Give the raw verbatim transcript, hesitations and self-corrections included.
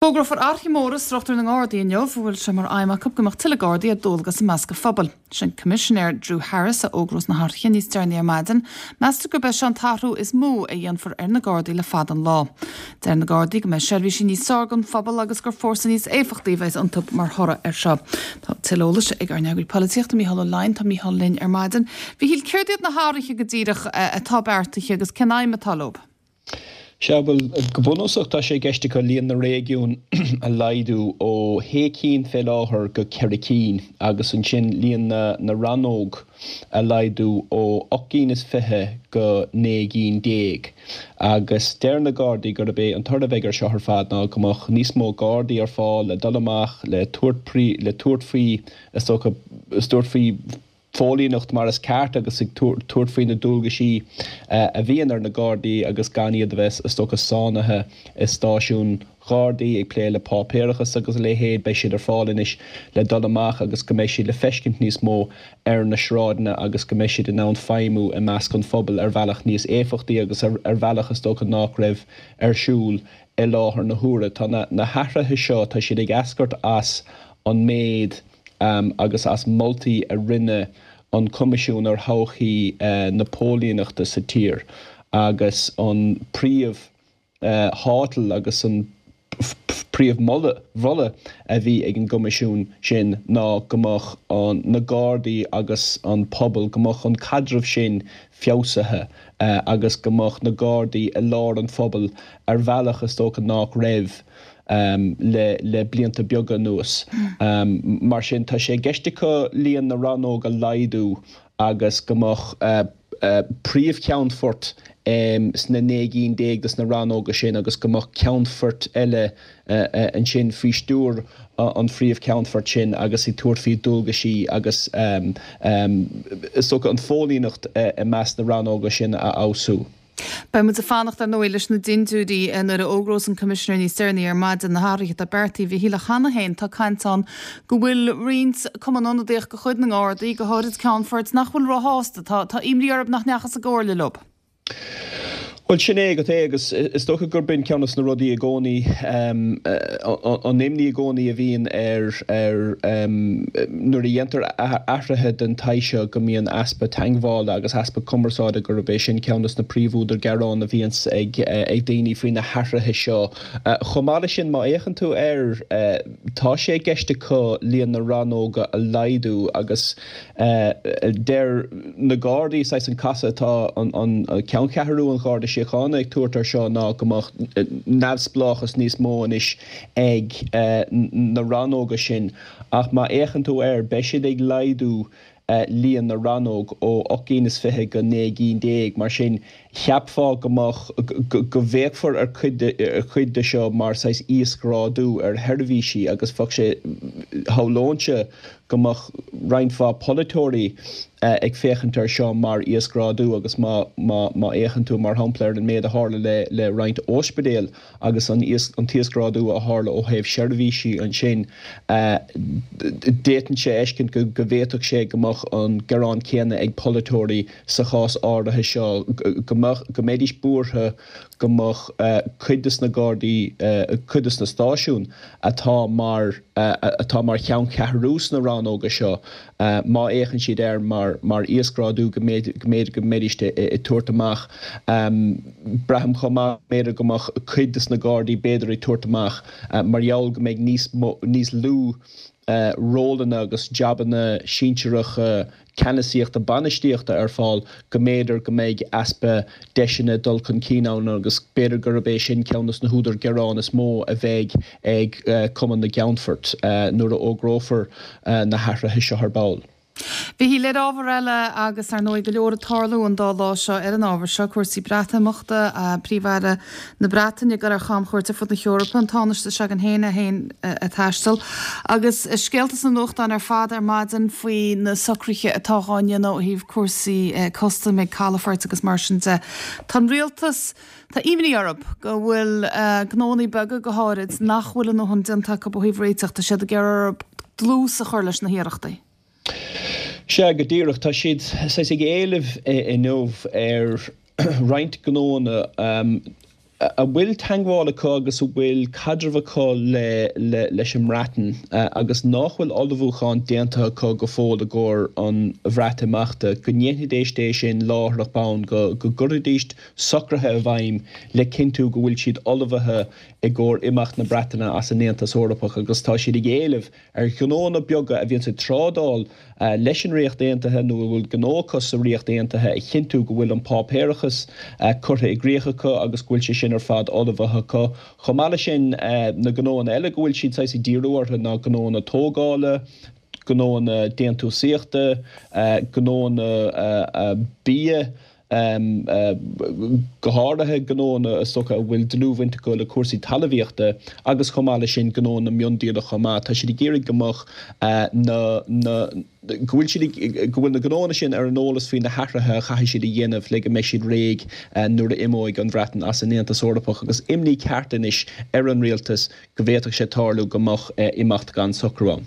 Fógrófar athruithe móra i struchtúr na nGardaí inniu, a bhfuil sé mar aidhm acu go mbeadh tuilleadh Gardaí ar dualgas i measc an phobail. Sin Coimisinéir Drew Harris a fhógrós na hathruithe níos deireanaí ar maidin. Meastar gurb é seo an t-athrú is mó a dhéanfar ar na Gardaí le fada an lá. Deir na Gardaí go mbeidh seirbhísí níos fearr don phobal agus gur fórsa níos éifeachtaí a bheas iontu mar thoradh air seo. Tá tuilleadh eolais ag ár n-eagraí polaitíochta Mícheál Ó Leidhin, tá Mícheál linn ar maidin. Mhíchíl, céard iad na hathruithe go díreach atá beartaithe agus cén aidhm atá leo? Sea, bhuel, go bunúsach tá sé i gceist acu líon na réigiún a laghdú ó shé cinn fé láthair go ceithre cinn agus ansin líon na na rannóg a laghdú ó ocht gcinn is fiche go naoi gcinn déag. Agus deir na Gardaí gurb é an toradh a bheidh air seo ar fad ná go mbeadh níos mó Gardaí ar fáil le dul amach le tabhairt le tabhairt faoi is dócha tabhairt faoi phóilíneacht mar is ceart agus ag tabhairt faoi na dualgaisí a bhíonn ar na Gardaí agus gan iad a bheith is dócha sáinnithe i stáisiún Ghardaí ag plé le páipéarachas agus a leithéid. Beidh siad ar fáil anois le dul amach agus go mbeidh siad le feiscint níos mó ar na sráideanna agus go mbeidh siad in ann feidhmiú i measc an phobail ar bhealach níos éifeachtaí agus ar bhealach is dócha nách raibh ar siúl i láthair na huaire. Tá na hathruithe seo, tá siad ag eascairt as an méid agus as moltaí a rinne an Coimisiún ar Thodhchaí na Póilíneachta sa tír agus an príomh thátal agus an príomh mholadh a bhí ag an gCoimisiún sin ná go mbeadh na Gardaí agus an pobal, go mbeadh an caidreamh sin feabhsaithe agus go mbeadh na Gardaí i lár an phobail ar bhealach is dócha nách raibh le le blianta beaga anuas. Mar sin, tá sé i gceist acu líon na rannóg a laghdú agus go mbeadh príomhcheannfort sna naoi gcinn déag de na rannóga sin agus go mbeadh ceannfoirt eile ansin faoi stiúir an phríomhcheannfoirt sin agus ag tabhairt faoi dualgaisí agus is dócha an phóilíneacht i measc na rannóga sin a fheabhsú. Beidh muid ag fanacht, ar ndóigh, leis na dintiúirí nuair a fhógrós an Coimisinéir níos deireanaí ar maidin na hathruithe atá beartaithe. A Mhíchíl, cheana féin tá caint ann go bhfuil roinnt cumann ionadaíoch de chuid na nGardaí, go háirid ceannfoirt, nach bhfuil róshásta. Tá tá imní orthu nach ndeachthas i gcomhairle leo. Bhuel, sin é agat é agus is dócha gurb in ceann de na rudaí i gcónaí, an imní i gcónaí a bhíonn ar ar nuair a dhéantar athruithe den tsaghas seo go mbíonn easpa teagmhála agus easpa cumarsáide, gurb é sin ceann de na príomhúdair gearán a bhíonns ag ag daoine faoi na hathruithe seo. Chomh maith leis sin, má fhéachann tú air, tá sé i gceist acu líon na rannóga a laghdú agus deir na Gardaí, saghas an casadh atá an ceanncheathrú an Gharda Síochána ag tabhairt air seo ná go mbeadh neamhspleáchas níos mó anois ag na rannóga sin ach má fhéachann tú air, beidh siad ag laghdú líon na rannóg ó ocht gcinn is fiche go naoi gcinn déag. Mar sin, cheapfá go mbeadh, go bhféachfar ar chuid ar chuid de seo mar saghas íosghrádú ar sheirbhísí agus bheadh sé, shamhlóinnse go mbeadh roinnt mhaith polaiteoirí ag féachaint air seo mar íosghrádú agus má má má fhéachann tú mar shampla ar an méid a tharla le le roinnt ospidéal agus an an t-íosghrádú a tharla ó thaobh seirbhísí ansin, d'fhéadfainnse a fheiscint go go bhféadfadh sé go mbeadh an gearán céanna ag polaiteoirí sa chás áirithe seo, go mbeadh, go mbeidís buartha go mbeadh cuid de na Gardaí, cuid de na stáisiúin atá mar, atá mar cheanncheathrú sna rannóga seo, má fhéachann siad air mar, mar íosghrádú go mb'fhéidir, go mb'fhéidir go mbeidís ag tabhairt amach. Braithim chomh maith go mb'fhéidir go mbeadh cuid de na Gardaí b'fhéidir ag tabhairt amach mar gheall go mbeidh níos mó, níos lú rólanna agus jabanna sinsearacha ceannasaíochta bainistíochta ar fáil go mb'fhéidir go mbeidh easpa deiseanna dul chun cinn ann agus b'fhéidir gurb é sin ceann de na húdair gearán is mó a bheidh ag Cumann na gCeannfort nuair a fhógrófar na hathruithe seo ar ball. A Mhíchíl, ar ábhar eile agus ar ndóigh go leor ag tarlú an dá lá seo ar an ábhar seo, cúrsaí Breatimeachta, Príomh-Aire na Breataine ag dul ar chamchuairt ar fud na hEorpa, an Tánaiste s'againn féin é féin ag taisteal, agus scéalta sna nuachtáin ar fad ar maidin faoi na socruithe atá dhá ndéanamh ó thaobh cúrsaí custaim ag calafoirt agus mar sin de. Tá an rialtas, tá imní orthu go bhfuil gnóannaí beaga go háirid nach bhfuil a ndóthain déanta acu ó thaobh réiteach, tá siad ag iarraidh orthu dlús a chur leis na hiarrachtaí. Sea, go díreach. Tá siad saghas ag éileamh inniu ar roinnt gnóanna a bhfuil teagmháil acu agus a bhfuil caidreamh acu le le leis an mBreatain agus nach bhfuil ullmhúchán déanta acu go fóill i gcomhair an Bhreatimeachta, go ndéanfaidís é sin láithreach bonn, go go gcuirfidís socruithe i bhfeidhm le cinntiú go bhfuil siad ullmhaithe i gcomhair imeacht na Breataine as an Aontas Eorpach agus tá siad ag éileamh ar ghnóanna beaga a bhíonns ag trádáil leis an Ríocht Aontaithe nó a bhfuil gnó acu sa Ríocht Aontaithe a chinntiú go bhfuil an páipéarachas curtha i gcrích acu agus go bhfuil sé sin ar fad ullmhaithe acu. Chomh maith leis sin, na gnóanna eile go bhfuil siad saghas ag díriú orthu ná gnóanna tógála, gnóanna déantúsaíochta, gnóanna bia, go háirithe gnóanna is dócha a bhfuil dlúthbhaint acu le cúrsaí talmhaíochta agus chomh maith leis sin gnóanna miondíola chomh maith. Tá siad ag iarraidh go mbeadh na, na, go bhfuil siad ag, go bhfuil na gnóanna sin ar an eolas faoi na hathruithe a chaithfidh siad a dhéanamh le go mbeidh siad réidh nuair a imeoidh an Bhreatain as an Aontas Eorpach agus imní ceart anois ar an rialtas go bhféadfadh sé tarlú go mbeadh imeacht gan socrú ann.